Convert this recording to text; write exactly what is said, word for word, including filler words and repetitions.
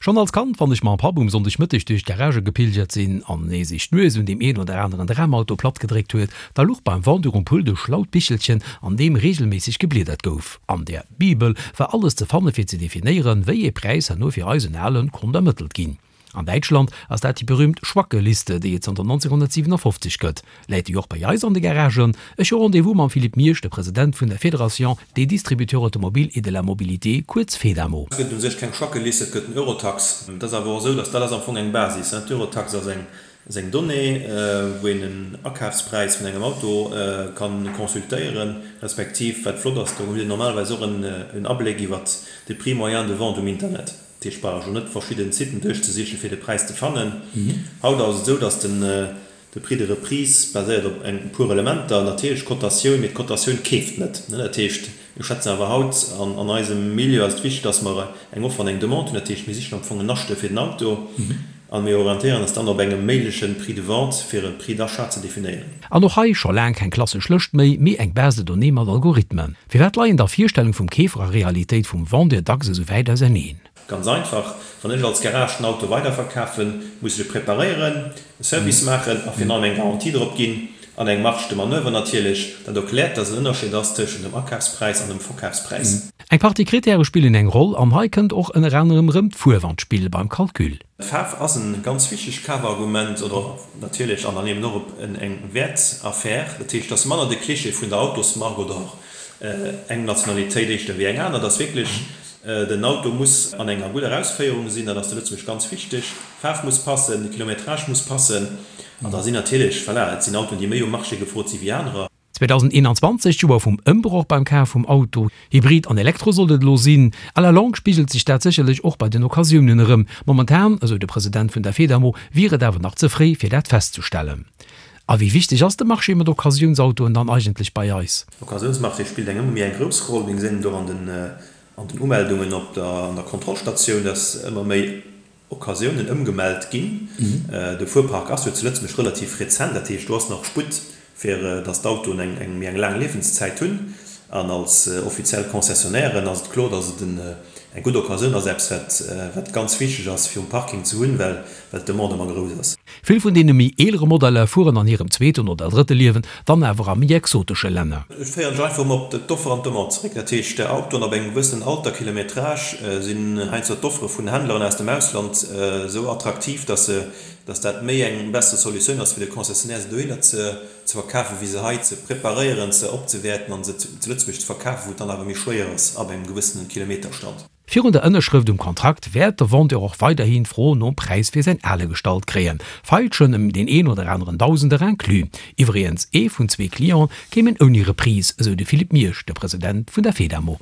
Schonn als Kand, wann ech mam Papp um Sonndegmëtteg duerch d'Garagë gepilgert sinn an e sech d'Nues un deem een oder aneren Dramauto platt gedréckt huet, da luch beim Vendeur um Pult e schlaut Bichelchen, an deem reegelméisseg gebliedert gouf. An där Bibel war alles ze fanne fir ze definéieren, wéi ee Präis herno fir eisen Alen konnt ermëttelt ginn. An Däitschland ass dat déi berüümt Schwacke-Liste, déi et zanter nonzénghonnertsiwenafofzeg gëtt. Läit déi och bei eis an de Garagen? Ech hu Rendez-vous mam Philippe Miersch, de President vun der Fédération des distributeurs automobiles et de la mobilité, kuerz Fedamo. Et gëtt u sech keng Schwacke-Liste, et gëtt den Eurotax. Et ass awer och esou, dass dat ass am Fong eng Basis. D'Eurotax ass eng ass eng Donnée, wou een en Akafspräis vun engem Auto ka consultéieren, respektiv, wat flott ass, do hutt een normalerweis och en Abléck iwwert de Prix moyen de vente um Internet. Dat heescht, brauch ech elo net verschidden Siten duerchzesichen, fir de Präis ze fannen. Haut ass et esou, dass den de Prix de reprise baséiert op eng puer Elementer, natierlech d'Cotatioun, mee d'Cotatioun keeft net. Dat heescht, mir schwätzen awer haut, an an eisem Milieu ass et wichteg, dass mer eng Offer an eng Demande hunn. Dat heescht, mir sichen am Fong en Acheteur fir den Auto a mir orientéieren eis dann op engem méigleche Prix de vente, fir e Prix d'achat ze definéieren. An och hei scho laang keng klassesch Lëscht méi, mee eng Base de données mat Algorithmen. Firwat leien da Virstellung vum Keefer a Realitéit vum Vendeur dacks esou wäit auserneen? Ganz einfach, wann ech als Garage den Auto weiderverkafen, muss ech e preparéieren, e Service maachen a virun allem eng Garantie drop ginn an eng Marge de manoeuvre natierlech. Dat erkläert, dass en Ënnerscheed ass tëschent dem Akafspräis an dem Verkafspräis. Eng Partie Krittäre spillen eng Roll an hei kënnt och ënner anerem erëm d'Fuerf an d'Spill beim Calcul. D'Faarf ass e ganz wichtegt Kafargument oder natierlech an dann eben och eng Wäertaffär. Dat heescht, et ass manner de Klischee vun der Autosmark oder och eng Nationalitéit éischter wéi eng aner. Et ass wierklech, den Auto muss an enger gudder Ausféierung sinn, dat ass zu Lëtzebuerg ganz wichteg. D'Faarf muss passen, de Kilometrage muss passen an da sinn natierlech, voilà, et sinn Autoen, déi méi um Marché gefrot si wéi anerer. zweedausendeenanzwanzeg, d'Joer vum Ëmbroch beim Kaf vum Auto. Hybrid an Elektro sollt et elo sinn. À la longue spigelt sech dat sécherlech och bei den Occasiounen erëm. Momentan, esou de President vun der Fedamo, wier et awer nach ze fréi, fir dat festzestellen. A wéi wichteg ass de Marché mat Occasiounsautoen dann eigentlech bei eis? Occasiounsmarché spillt eng ëmmer méi eng grouss Roll. Mir gesinn et och an den an den Umeldungen op der an der Kontrollstatioun, dass ëmmer méi Occasiounen ëmgemellt ginn. De Fuerpark ass jo zu Lëtzebuerg relativ rezent, dat heescht do ass nach Sputt fir dass d'Autoen eng eng méi eng laang Liewenszäit hunn. An als offiziell Concessionnairen ass et kloer, dass et en eng gutt Occasioun ass, eppes wat wat ganz wichteg ass fir um Parking ze hunn, well well d'Demande ëmmer grouss ass. Vill vun deene méi eelere Modeller fueren an hirem zweeten oder drëtte Liewen dann awer a méi exotesche Länner. Ech féieren ech einfach emol op d'Offer an d'Demande zeréck. Dat heescht, Autoen ab engem gewëssenen Alter, Kilometrage, sinn heiansdo d'Offere vun Händleren aus dem Ausland esou attraktiv, dass se, dass dat méi eng besser Solutioun ass fir de Concessionnaire, se dohinner ze verkafen, wéi se hei ze preparéieren, se opzewäerten an se zu Lëtzebuerg ze verkafen, wou et dann awer méi schwéier ass ab engem gewëssenen Kilometerstand. Virun der Ënnerschrëft um Kontrakt wäert de Vendeur och weiderhin d'Fro nom Präis fir säin Ale gestallt kréien, Feilschen ëm deen een oder aneren Dausender inclus. Iwwregens, ee vun zwee Cliente kéimen ouni Reprise, esou de Philippe Miersch, de President vun der Fedamo.